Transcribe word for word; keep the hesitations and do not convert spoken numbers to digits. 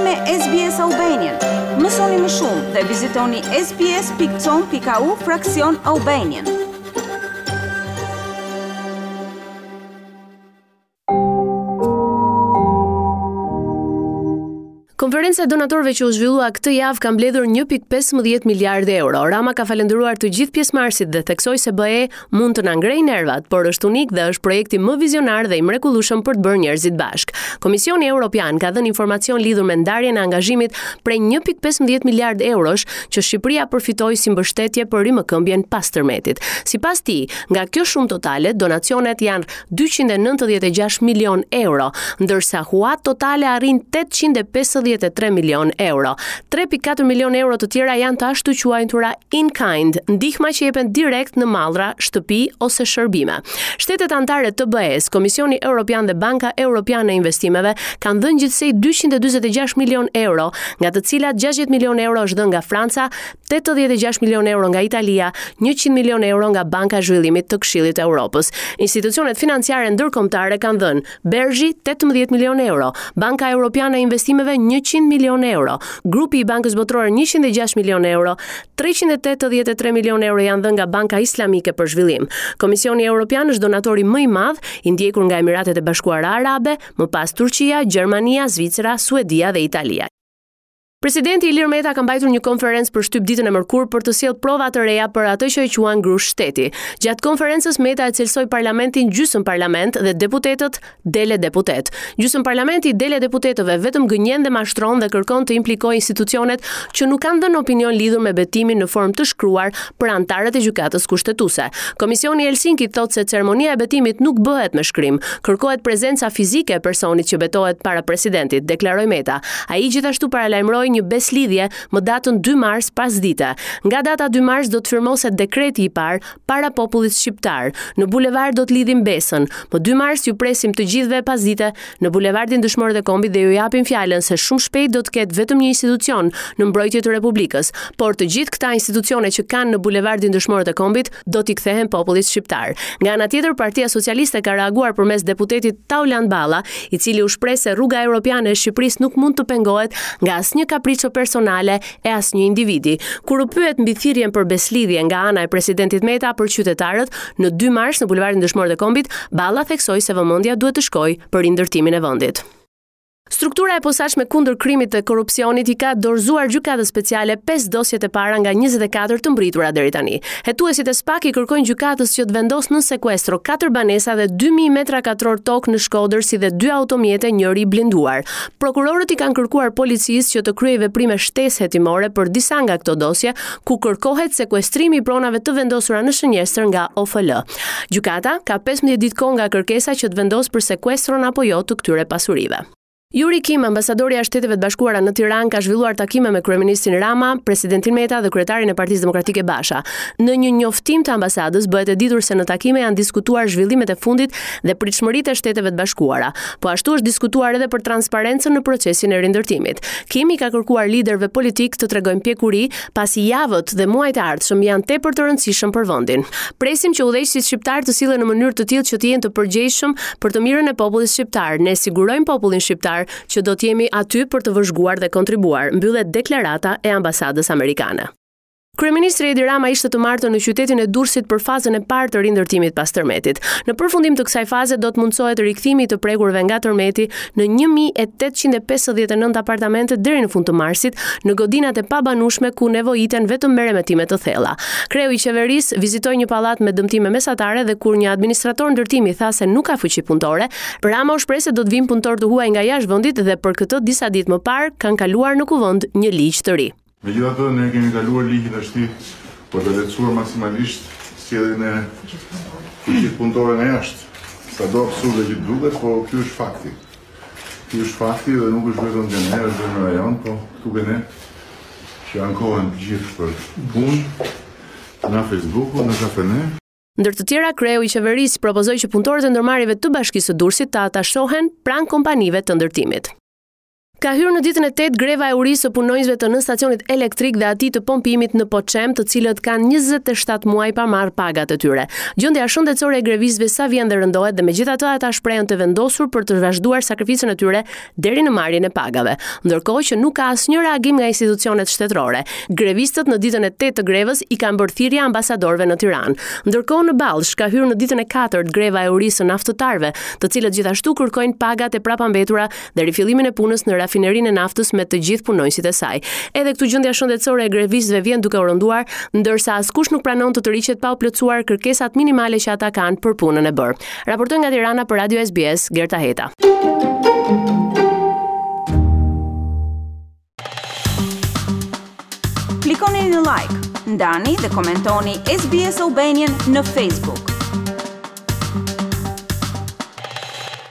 me S B S Albanian. Mësoni më shumë dhe vizitoni S B S pikë com pikë A U fraksion Albanian. Konferenca e donatorëve që u zhvillua këtë javë ka mbledhur një pikë pesëmbëdhjetë miliardë euro. Rama ka falendëruar të gjithë pjesëmarrësit dhe theksoi se B E mund të na ngrejë nervat, por është unik dhe është projekti më vizionar dhe i mrekullueshëm për të bërë njerëzit bashkë. Komisioni Evropian ka dhënë informacion lidhur me ndarjen e angazhimit prej një pikë pesëmbëdhjetë miliardë eurosh që Shqipëria përfitoi si mbështetje për rimëkëmbjen pas tërmetit. Sipas tij, nga kjo shumë totale, donacionet janë dyqind e nëntëdhjetë e gjashtë milion euro, ndërsa huat totale arrin tetëqind e pesëdhjetë e tre milion euro. tre pikë katër milion euro të tjera janë të ashtu quajtura in kind, ndihma që jepen direkt në mallra, shtëpi ose shërbime. Shtetet anëtare të B E-s, Komisioni Evropian dhe Banka Evropiane e Investimeve kanë dhënë gjithsej dyqind e dyzet e gjashtë milion euro, nga të cilat gjashtëdhjetë milion euro është dhënë nga Franca, tetëdhjetë e gjashtë milion euro nga Italia, njëqind milion euro nga Banka e Zhvillimit të Këshillit të Evropës. Institucionet financiare ndërkombëtare kanë dhënë BERZH-i tetëmbëdhjetë milion euro, Banka Evropiane e Investimeve njëqind milion euro, Grupi i Bankës Botërore njëqind e gjashtë milion euro, treqind e tetëdhjetë e tre milion euro janë dhënë nga Banka Islamike për Zhvillim. Komisioni Evropian është donatori më i madh, i ndjekur nga Emiratet e Bashkuara Arabe, më pas Turqia, Gjermania, Zvicra, Suedia dhe Italia. Presidenti Ilir Meta ka mbajtur një konferencë për shtyp ditën e mërkurë për të sjellë prova të reja për atë që e quan grusht shteti. Gjatë konferencës, Meta e cilësoi parlamentin gjysmë parlament dhe deputetët dele deputet. Gjysmë parlamenti i dele deputetëve vetëm gënjen dhe mashtron dhe kërkon të implikojë institucionet që nuk kanë dhënë opinion lidhur me betimin në formë të shkruar për anëtarët e gjykatës kushtetuese. Komisioni i Helsinkit thotë se ceremonia e betimit nuk bëhet me shkrim, kërkohet prezenca fizike e personit që betohet para presidentit, deklaroi Meta. Ai gjithashtu paralajmëroi një beslidhje më datën dy mars pas dite. Nga data dy mars do të firmoset dekreti i parë para popullit shqiptar. Në bulevard do të lidhim besën. Më dy mars ju presim të gjithëve pas dite në bulevardin Dëshmorët e Kombit dhe ju japim fjalën se shumë shpejt do të ketë vetëm një institucion në mbrojtje të Republikës, por të gjithë këta institucione që kanë në bulevardin Dëshmorët e Kombit do t'i kthehen popullit shqiptar. Nga ana tjetër, Partia Socialiste ka reaguar përmes deputetit Taulant Balla, i cili u shpreh se rruga europiane e Shqipërisë nuk mund të pengohet nga asnjë kapriço personale e asnjë individi. Kur u pyet mbi thirrjen për beslidhje nga ana e presidentit Meta për qytetarët në dy mars në bulevardin Dëshmorët e Kombit, Balla theksoi se vëmendja duhet të shkojë për rindërtimin e vendit. Struktura e posaçme kundër krimit dhe korrupsionit i ka dorëzuar gjykatës speciale pesë dosjet e para nga njëzet e katër të mbritura deri tani. Hetuesit e SPAK i kërkojnë gjykatës që të vendosë në sekuestro katër banesa dhe dy mijë metra katror tokë në Shkodër, si dhe dy automjete, njëri i blinduar. Prokurorët i kanë kërkuar policisë që të kryejë veprime shtesë hetimore për disa nga këto dosje, ku kërkohet sekuestrimi i pronave të vendosura në shënjestër nga O F L. Gjykata ka pesëmbëdhjetë ditë kohë nga kërkesa që të vendosë për sekuestron apo jo të këtyre pasurive. Yuri Kim, ambasadorja e Shteteve të Bashkuara në Tiranë, ka zhvilluar takime me kryeministrin Rama, presidentin Meta dhe kryetarin e Partisë Demokratike Basha. Në një njoftim të ambasadës bëhet e ditur se në takime janë diskutuar zhvillimet e fundit dhe pritshmëritë e Shteteve të Bashkuara. Po ashtu është diskutuar edhe për transparencën në procesin e rindërtimit. Kim i ka kërkuar liderëve politik të tregojnë pjekuri, pasi javët dhe muajt e ardhshëm janë tepër të rëndësishëm për vendin. Presim që udhëheqësit shqiptar të sillen në mënyrë të tillë që të jenë të përgjegjshëm për të mirën e popullit shqiptar. Ne sigurojmë popullin shqiptar që do të jemi aty për të vëzhguar dhe kontribuar, mbyllet deklarata e ambasadës amerikane. Kryeministri Edi Rama ishte të martën në qytetin e Durrësit për fazën e parë të rindërtimit pas tërmetit. Në përfundim të kësaj faze do të mundsohet rikthimi i të prekurve nga tërmeti në një mijë e tetëqind e pesëdhjetë e nëntë apartamente deri në fund të marsit në godinat e pabanueshme ku nevojiten vetëm meremetime të thella. Kreu i qeverisë vizitoi një pallat me dëmtime mesatare dhe kur një administrator ndërtimi tha se nuk ka fuqi punëtore, Rama u shpreh se do të vinë punëtorë të huaj nga jashtë vendit dhe për këtë disa ditë më parë kanë kaluar në kuvend një ligj të ri. Megjithatë, ne kemi kaluar ligjin tashti për të lehtësuar maksimalisht sjelljen e fuqisë punëtore nga jashtë. Sado absurde që duket, po ky është fakti. Ky është fakti dhe nuk është vetëm te ne, është dhe në rajon, po këtu ke ne që ankohen të gjithë për punë, nga Facebooku, në kafene. Ndër të tjera, kreu i qeverisë propozoi që punëtorët e ndërmarrjeve të Bashkisë së Durrësit të atashohen pranë kompanive të ndërtimit. Ka hyrë në ditën e tetë greva e urisë së punonjësve të nënstacionit elektrik dhe atij të pompimit në Poçem, të cilët kanë njëzet e shtatë muaj pa marrë pagat e tyre. Gjendja shëndetësore e grevistëve sa vjen dhe rëndohet dhe megjithatë ata shprehen të vendosur për të vazhduar sakrificën e tyre deri në marrjen e pagave. Ndërkohë që nuk ka asnjë reagim nga institucionet shtetërore. Grevistët në ditën e tetë të grevës i kanë bërë thirrje ambasadorëve në Tiranë. Ndërkohë në Ballsh ka hyrë në ditën e katërt greva e urisë së naftëtarëve, të cilët gjithashtu kërkojnë pagat e prapambetura dhe rifillimin e punës në rafinerinë e naftës me të gjithë punonjësit e saj. Edhe këtu gjendja shëndetësore e grevistëve vjen duke u rënduar, ndërsa askush nuk pranon të tërhiqet pa u plotësuar kërkesat minimale që ata kanë për punën e bërë. Raportoi nga Tirana për Radio S B S, Gerta Heta. Klikoni në like, ndani dhe komentoni S B S Albanian në Facebook.